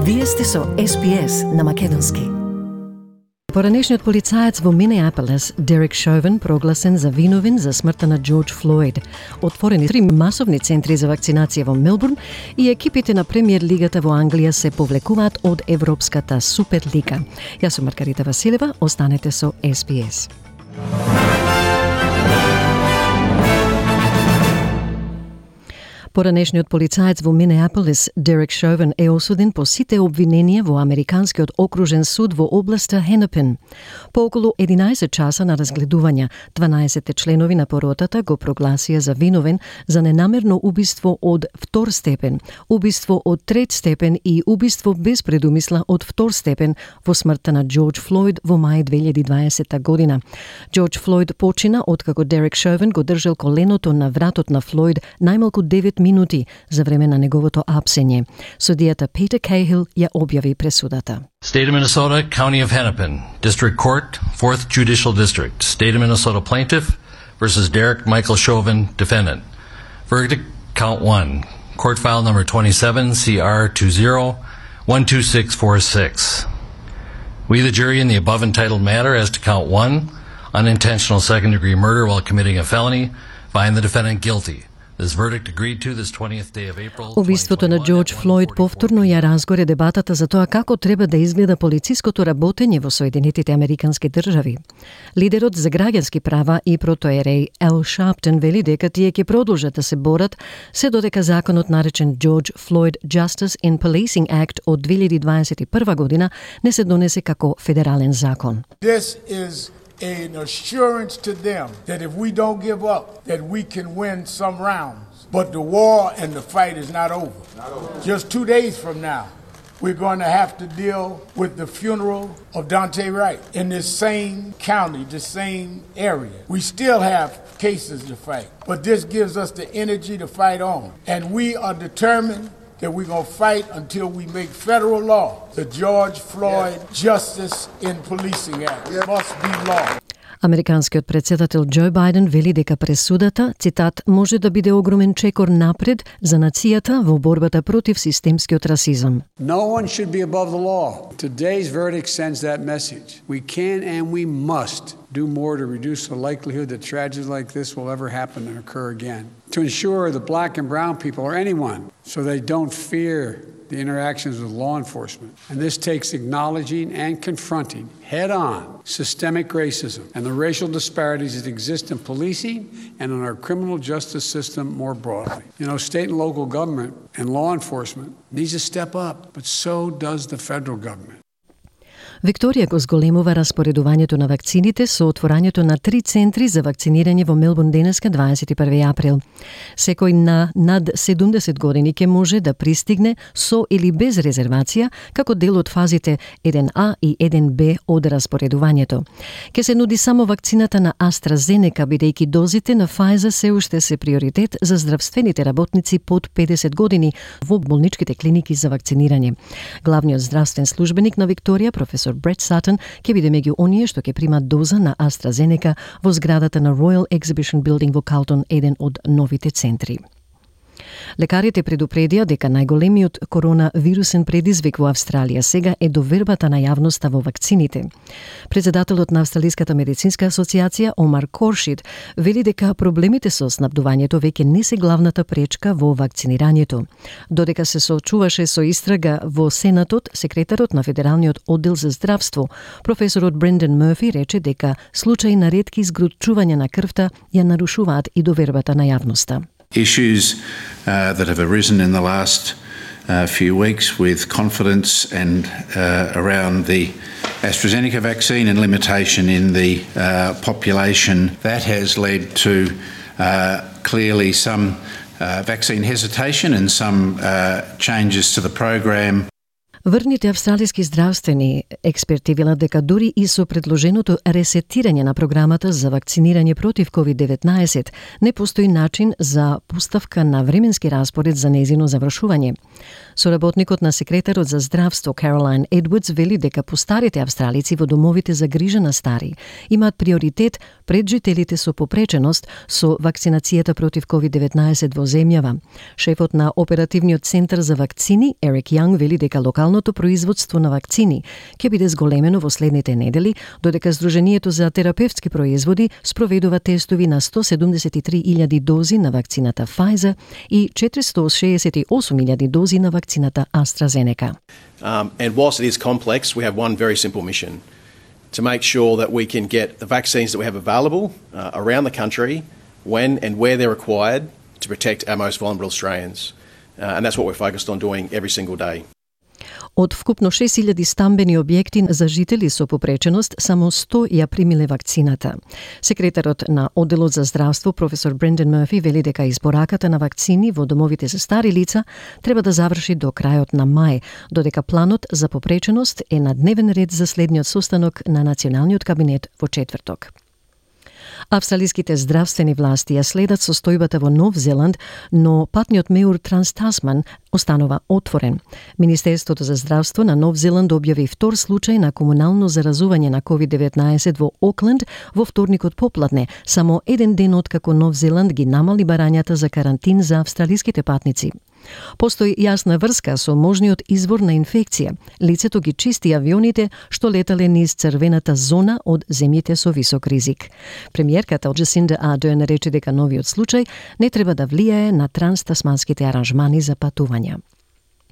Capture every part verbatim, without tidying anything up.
Вие сте со Ес Би Ес на македонски. Поранешниот полицаец во Минеаполис, Дерек Шовен, прогласен за виновен за смртта на Џорџ Флојд. Отворени три масовни центри за вакцинација во Мелбурн и екипите на премиер лигата во Англија се повлекуваат од Европската Суперлига. Јас сум Маргарита Василева, останете со Ес Би Ес. Поранешниот полицаец во Минеаполис, Дерек Шовен, е осуден по сите обвиненија во Американскиот окружен суд во областа Хенепин. По околу единаесет часа на разгледување, дванаесет членови на поротата го прогласија за виновен за ненамерно убиство од втор степен, убиство од трет степен и убиство без предумисла од втор степен во смртта на Џорџ Флојд во мај две илјади и дваесета година. Џорџ Флојд почина откако Дерек Шовен го држал коленото на вратот на Флојд најмалку девет минути за време на неговото апсење. Судијата Питер Кейхил ја објави пресудата. State of Minnesota, County of Hennepin, District Court, fourth Judicial District. State of Minnesota plaintiff versus Derek Michael Chauvin, defendant. Verdict, count one. Court file number twenty-seven, C R two zero one two six four six. We, the jury, in the above entitled matter as to count one, unintentional second-degree murder while committing a felony, find the defendant guilty. This verdict agreed to this twentieth day of April. Убиството на Џорџ Флојд повторно ја разгоре дебатата за тоа како треба да изгледа полициското работење во Соединетите Американски држави. Лидерот за граѓански права и протоереј Ел Шарптон вели дека тие ќе продолжат да се борат се додека законот наречен Џорџ Флојд Justice in Policing Act од две илјади дваесет и прва година не се донесе како федерален закон. This is an assurance to them that if we don't give up, that we can win some rounds. But the war and the fight is not over. Not over. Just two days from now, we're going to have to deal with the funeral of Daunte Wright in this same county, the same area. We still have cases to fight, but this gives us the energy to fight on. And we are determined that we're going to fight until we make federal law the George Floyd Justice in Policing Act. It must be law. Американскиот претседател Џо Бајден вели дека пресудата, цитат, може да биде огромен чекор напред за нацијата во борбата против системскиот расизам. No one should be above the law. Today's verdict sends that message. We can and we must do more to reduce the likelihood that tragedies like this will ever happen and occur again. To ensure the black and brown people or anyone so they don't fear the interactions with law enforcement. And this takes acknowledging and confronting head-on systemic racism and the racial disparities that exist in policing and in our criminal justice system more broadly. You know, state and local government and law enforcement needs to step up, but so does the federal government. Викторија го зголемува распоредувањето на вакцините со отворањето на три центри за вакцинирање во Мелбурн денеска дваесет и први април. Секој на над седумдесет години ќе може да пристигне со или без резервација како дел од фазите еден А и еден Б од распоредувањето. Ке се нуди само вакцината на AstraZeneca, бидејќи дозите на Pfizer се уште се приоритет за здравствените работници под педесет години во болничките клиники за вакцинирање. Главниот здравствен службеник на Викторија, професор Брет Сатон, ќе биде меѓу оние што ќе примат доза на AstraZeneca во зградата на Royal Exhibition Building во Калтон, еден од новите центри. Лекарите предупредија дека најголемиот коронавирусен предизвик во Австралија сега е довербата на јавноста во вакцините. Председателот на Австралиската медицинска асоциација Омар Коршид вели дека проблемите со снабдувањето веќе не се главната пречка во вакцинирањето. Додека се соочуваше со истрага во Сенатот, секретарот на Федералниот оддел за здравство, професорот Брендан Мърфи, рече дека случаи на ретки згручувања на крвта ја нарушуваат и довербата на јавноста. Issues uh, that have arisen in the last uh, few weeks with confidence and uh, around the AstraZeneca vaccine and limitation in the uh, population, that has led to uh, clearly some uh, vaccine hesitation and some uh, changes to the program. Врните австралиски здравствени експерти велат дека дури и со предложеното ресетирање на програмата за вакцинирање против ковид деветнаесет не постои начин за поставка на временски распоред за нејзино завршување. Соработникот на секретарот за здравство Каролайн Едвардс вели дека постарите австралици во домовите за грижа на стари имаат приоритет пред жителите со попреченост со вакцинацијата против ковид деветнаесет во земјава. Шефот на оперативниот центар за вакцини Ерик Јанг вели дека локалното производство на вакцини ќе биде зголемено во следните недели, додека Сдруженијето за терапевтски производи спроведува тестови на сто седумдесет и три илјади дози на вакцината Pfizer и четиристо шеесет и осум илјади дози на вакцината AstraZeneca. Um, and whilst it is complex, we have one very simple mission: to make sure that we can get the vaccines that we have available uh, around the country when and where they're required to protect our most vulnerable Australians. Uh, and that's what we're focused on doing every single day. Од вкупно шест илјади стамбени објекти за жители со попреченост, само сто ја примиле вакцината. Секретарот на Одделот за здравство, професор Брендан Мерфи, вели дека испораката на вакцини во домовите за стари лица треба да заврши до крајот на мај, додека планот за попреченост е на дневен ред за следниот состанок на Националниот кабинет во четврток. Австралиските здравствени власти ја следат состојбата во Нов Зеланд, но патниот меур Транс-Тасман останува отворен. Министерството за здравство на Нов Зеланд објави втор случај на комунално заразување на ковид деветнаесет во Окленд во вторникот попладне, само еден ден откако Нов Зеланд ги намали барањата за карантин за австралиските патници. Постои јасна врска со можниот извор на инфекција. Лицето ги чисти авионите што летале низ црвената зона од земјите со висок ризик. Премиерката Джасинда Ардерн рече дека новиот случај не треба да влијае на транстасманските аранжмани за патувања.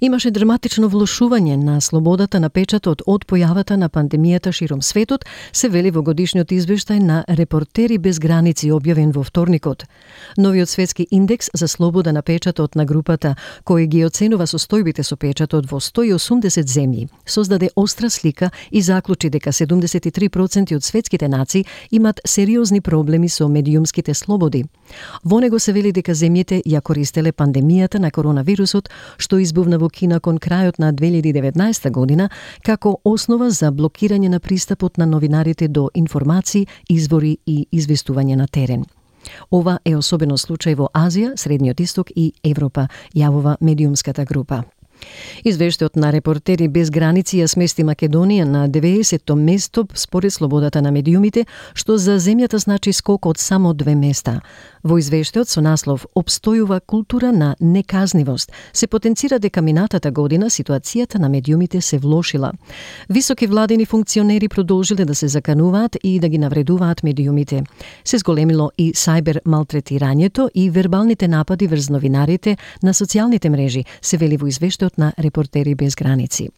Имаше драматично влошување на слободата на печатот од појавата на пандемијата широм светот, се вели во годишниот извештај на Репортери без граници објавен во вторникот. Новиот светски индекс за слобода на печатот на групата, кој ги оценува состојбите со печатот во сто и осумдесет земји, создаде остра слика и заклучи дека седумдесет и три проценти од светските нации имат сериозни проблеми со медиумските слободи. Во него се вели дека земјите ја користеле пандемијата на коронавирусот, што избувна во Кина кон крајот на две илјади и деветнаесета година, како основа за блокирање на пристапот на новинарите до информации, извори и известување на терен. Ова е особено случај во Азија, Средниот Исток и Европа, јавува медиумската група. Извештајот на Репортери без граници ја смести Македонија на деветдесетто место според слободата на медиумите, што за земјата значи скок од само две места. Во извештајот со наслов "Обстојува култура на неказнивост" се потенцира дека минатата година ситуацијата на медиумите се влошила. Високи владени функционери продолжиле да се закануваат и да ги навредуваат медиумите. Се зголемило и сајбер малтретирањето и вербалните напади врз новинарите на социјалните мрежи, се вели во извештајот на Репортери без граници.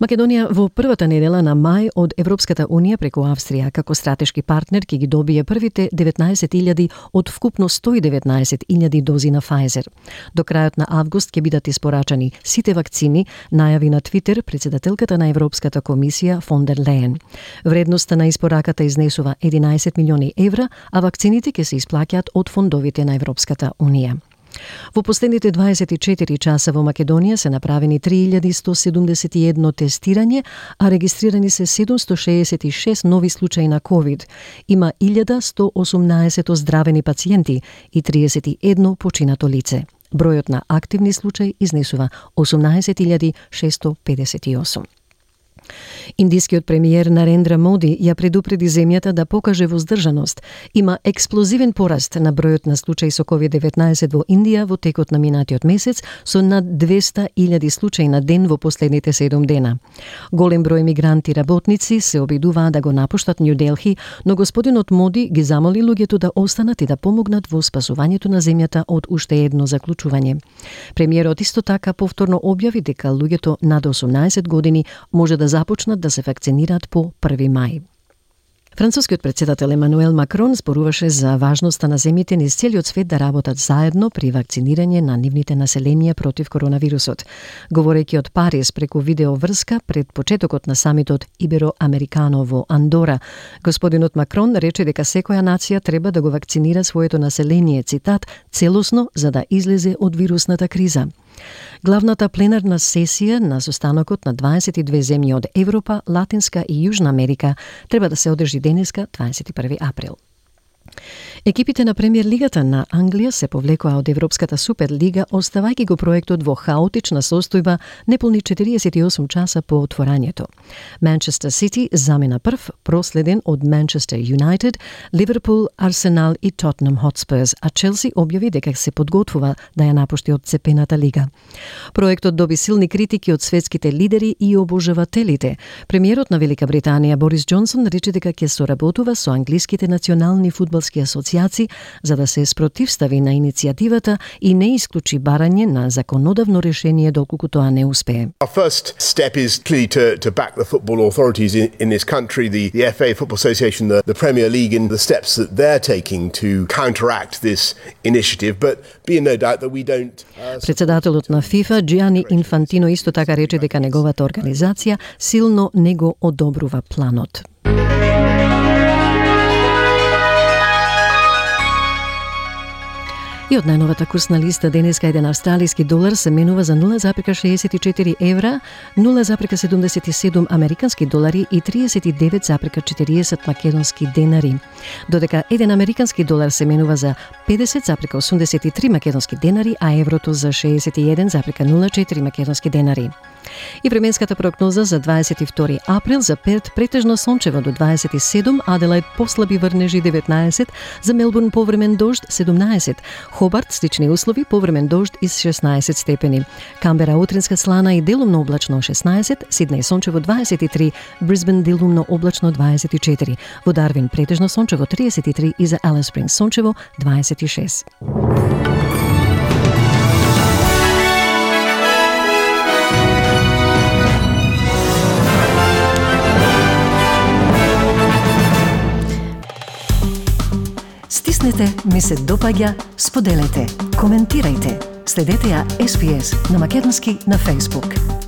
Македонија во првата недела на мај од Европската Унија преку Австрија како стратешки партнер ќе ги добие првите деветнаесет илјади од вкупно сто и деветнаесет илјади дози на Pfizer. До крајот на август ќе бидат испорачани сите вакцини, најави на Твитер председателката на Европската комисија фон дер Лејен. Вредноста на испораката изнесува единаесет милиони евра, а вакцините ќе се исплаќаат од фондовите на Европската Унија. Во последните дваесет и четири часа во Македонија се направени три илјади сто седумдесет и едно тестирање, а регистрирани се седумсто шеесет и шест нови случаи на ковид. Има илјада сто осумнаесет оздравени пациенти и триесет и едно починато лице. Бројот на активни случаи изнесува осумнаесет илјади шесто педесет и осум. Индискиот премиер Нарендра Моди ја предупреди земјата да покаже воздржаност. Има експлозивен пораст на бројот на случаи со ковид деветнаесет во Индија во текот на минатиот месец, со над двесте илјади случаи на ден во последните седум дена. Голем број мигранти работници се обидуваат да го напуштат Нью Делхи, но господинот Моди ги замоли луѓето да останат и да помогнат во спасувањето на земјата од уште едно заклучување. Премиерот исто така повторно објави дека луѓето над осумнаесет години може да започнат да се вакцинираат по први мај. Францускиот председател Емануел Макрон зборуваше за важноста на земјите низ целиот свет да работат заедно при вакцинирање на нивните населенија против коронавирусот. Говорејќи од Париз преку видеоврска пред почетокот на самитот Ибероамерикано во Андора, господинот Макрон рече дека секоја нација треба да го вакцинира своето население, цитат, целосно за да излезе од вирусната криза. Главната пленарна сесија на состанокот на дваесет и две земји од Европа, Латинска и Јужна Америка треба да се одржи денеска, дваесет и први април. Екипите на Премиер лигата на Англија се повлекоа од Европската Суперлига, оставајќи го проектот во хаотична состојба неполни четириесет и осум часа по отворањето. Манчестер Сити замина прв, проследен од Манчестер Юнайтед, Ливерпул, Арсенал и Тотнам Хотспурс, а Челси објави дека се подготвува да ја напушти од цепената лига. Проектот доби силни критики од светските лидери и обожавателите. Премиерот на Велика Британија Борис Џонсон рече дека ќе соработува со англиските национални фудбалски асоциации за да се спротивстави на иницијативата и не исклучи барање на законодавно решение доколку тоа не успее. Our first step is clearly to, to back the football authorities in, in this country, the, the F A, Football Association, the, the Premier League, and the steps that they're taking to counteract this initiative, but be in no doubt that we don't... Uh, Председателот на ФИФА, Джиани Инфантино, исто така рече дека неговата организација силно не го одобрува планот. И од најновата курсна листа денеска еден австралиски долар се менува за нула запирка шеесет и четири евра, нула запирка седумдесет и седум американски долари и триесет и девет запирка четириесет македонски денари. Додека еден американски долар се менува за педесет запирка осумдесет и три македонски денари, а еврото за шеесет и еден запирка нула четири македонски денари. И временската прогноза за дваесет и втори април за Перт претежно сончево до дваесет и седум, Аделајд послаби врнежи деветнаесет, за Мелбурн повремен дожд седумнаесет, Хобарт слични услови, повремен дожд и шеснаесет степени, Камбера утринска слана и делумно облачно шеснаесет, Сиднеј сончево дваесет и три, Брисбен делумно облачно дваесет и четири, во Дарвин претежно сончево триесет и три и за Алис Спрингс сончево дваесет и шест. Стиснете, ми се допаѓа, споделете, коментирајте. Следете ја Ес Би Ес на македонски на Facebook.